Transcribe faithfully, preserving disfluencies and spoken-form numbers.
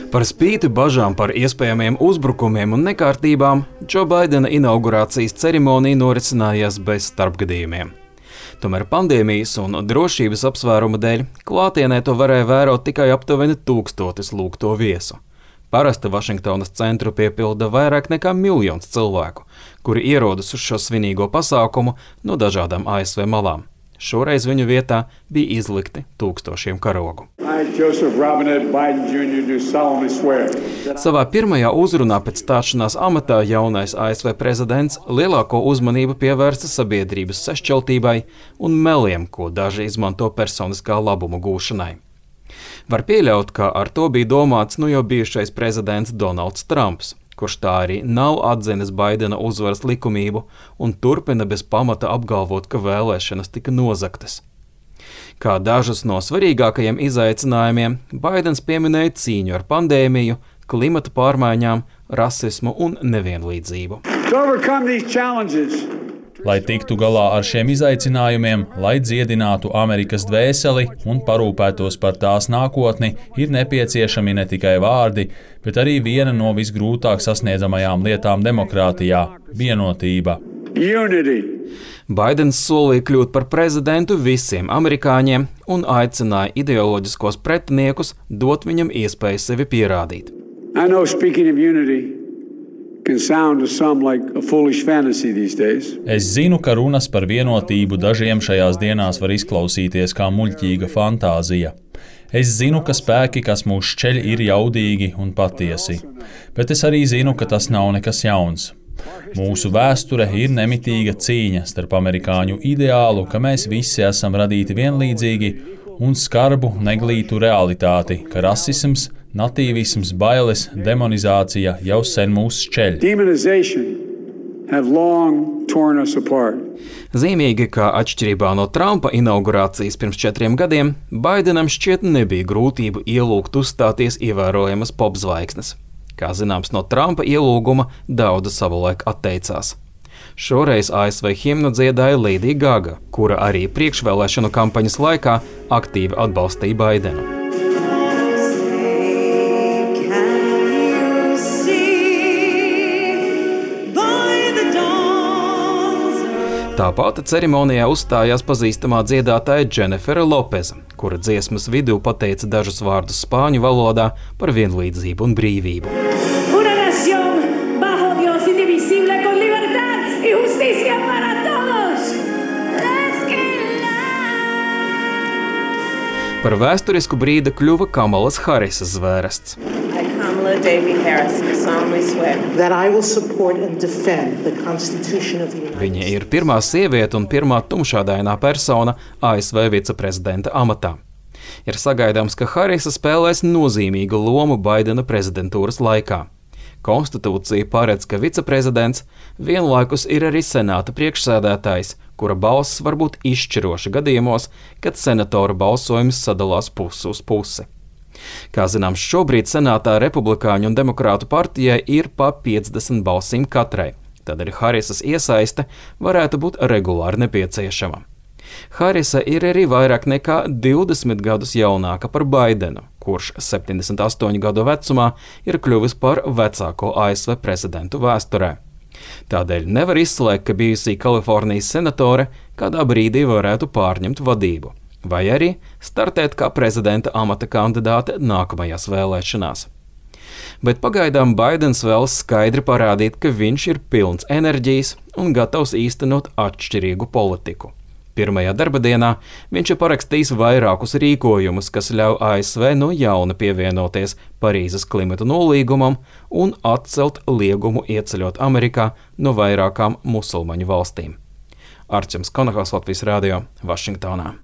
Par spīti bažām par iespējamiem uzbrukumiem un nekārtībām, Džo Baidena inaugurācijas ceremonija norisinājās bez starpgadījumiem. Tomēr pandēmijas un drošības apsvērumu dēļ klātienē to varēja vērot tikai aptuveni tūkstotis lūgto viesu. Parasti Vašingtonas centru piepilda vairāk nekā miljons cilvēku, kuri ierodas uz šo svinīgo pasākumu no dažādām A S V malām. Šoreiz viņu vietā bija izlikti tūkstošiem karogu. Savā pirmajā uzrunā pēc stāšanās amatā jaunais A S V prezidents lielāko uzmanību pievērsta sabiedrības sašķeltībai un meliem, ko daži izmanto personiskā labuma gūšanai. Var pieļaut, ka ar to bija domāts nu jau bijušais prezidents Donalds Trumps, kurš tā arī nav atzinis Baidena uzvaras likumību un turpina bez pamata apgalvot, ka vēlēšanas tika nozagtas. Kā dažus no svarīgākajiem izaicinājumiem, Baidens pieminēja cīņu ar pandēmiju, klimata pārmaiņām, rasismu un nevienlīdzību. Lai tiktu galā ar šiem izaicinājumiem, lai dziedinātu Amerikas dvēseli un parūpētos par tās nākotni, ir nepieciešami ne tikai vārdi, bet arī viena no visgrūtāk sasniedzamajām lietām demokrātijā – vienotība. Unity. Baidens solīja kļūt par prezidentu visiem amerikāņiem un aicināja ideoloģiskos pretiniekus dot viņam iespēju sevi pierādīt. I know speaking of unity can sound to some like a foolish fantasy these days. Es zinu, ka runas par vienotību dažiem šajās dienās var izklausīties kā muļķīga fantāzija. Es zinu, ka spēki, kas mūs šķeļ, ir jaudīgi un patiesi, bet es arī zinu, ka tas nav nekas jauns. Mūsu vēsture ir nemitīga cīņa starp amerikāņu ideālu, ka mēs visi esam radīti vienlīdzīgi, un skarbu, neglītu realitāti, ka rasisms, natīvisms, bailes, demonizācija jau sen mūs šķeļ. Zīmīgi, ka atšķirībā no Trumpa inaugurācijas pirms četriem gadiem, Baidenam šķiet nebija grūtību ielūgt uzstāties ievērojamas popzvaigznes. Kā zināms, no Trumpa ielūguma daudz savulaik atteicās. Šoreiz A S V himnu dziedāja Lady Gaga, kura arī priekšvēlēšanu kampaņas laikā aktīvi atbalstīja Baidenu. Tāpat ceremonijā uzstājās pazīstamā dziedātāja Dženifera Lopeza, kura dziesmas vidū pateica dažus vārdus spāņu valodā par vienlīdzību un brīvību. Par vēsturisku brīdi kļuva Kamalas Harisas zvērests. Viņa ir pirmā sieviete un pirmā tumšādainā persona A S V viceprezidenta amatā. Ir sagaidāms, ka Harisa spēlēs nozīmīgu lomu Baidena prezidentūras laikā. Konstitūcija paredz, ka viceprezidents vienlaikus ir arī senāta priekšsēdētājs, kura balss var būt izšķiroša gadījumos, kad senatora balsojums sadalās pusi uz pusi. Kā zināms, šobrīd senātā republikāņu un demokrātu partijai ir pa piecdesmit balsīm katrai, tādēļ Harisas iesaiste varētu būt regulāri nepieciešama. Harisa ir arī vairāk nekā divdesmit gadus jaunāka par Baidenu, kurš septiņdesmit astoņu gadu vecumā ir kļuvis par vecāko A S V prezidentu vēsturē. Tādēļ nevar izslēgt, ka bijusī Kalifornijas senatore kādā brīdī varētu pārņemt vadību, vai arī startēt kā prezidenta amata kandidāte nākamajās vēlēšanās. Bet pagaidām Baidens vēlas skaidri parādīt, ka viņš ir pilns enerģijas un gatavs īstenot atšķirīgu politiku. Pirmajā darba dienā viņš ir parakstījis vairākus rīkojumus, kas ļauj A S V no jauna pievienoties Parīzes klimata nolīgumam un atcelt liegumu ieceļot Amerikā no vairākām musulmaņu valstīm. Arčuns Konahaus, Latvijas radio, Vašingtonā.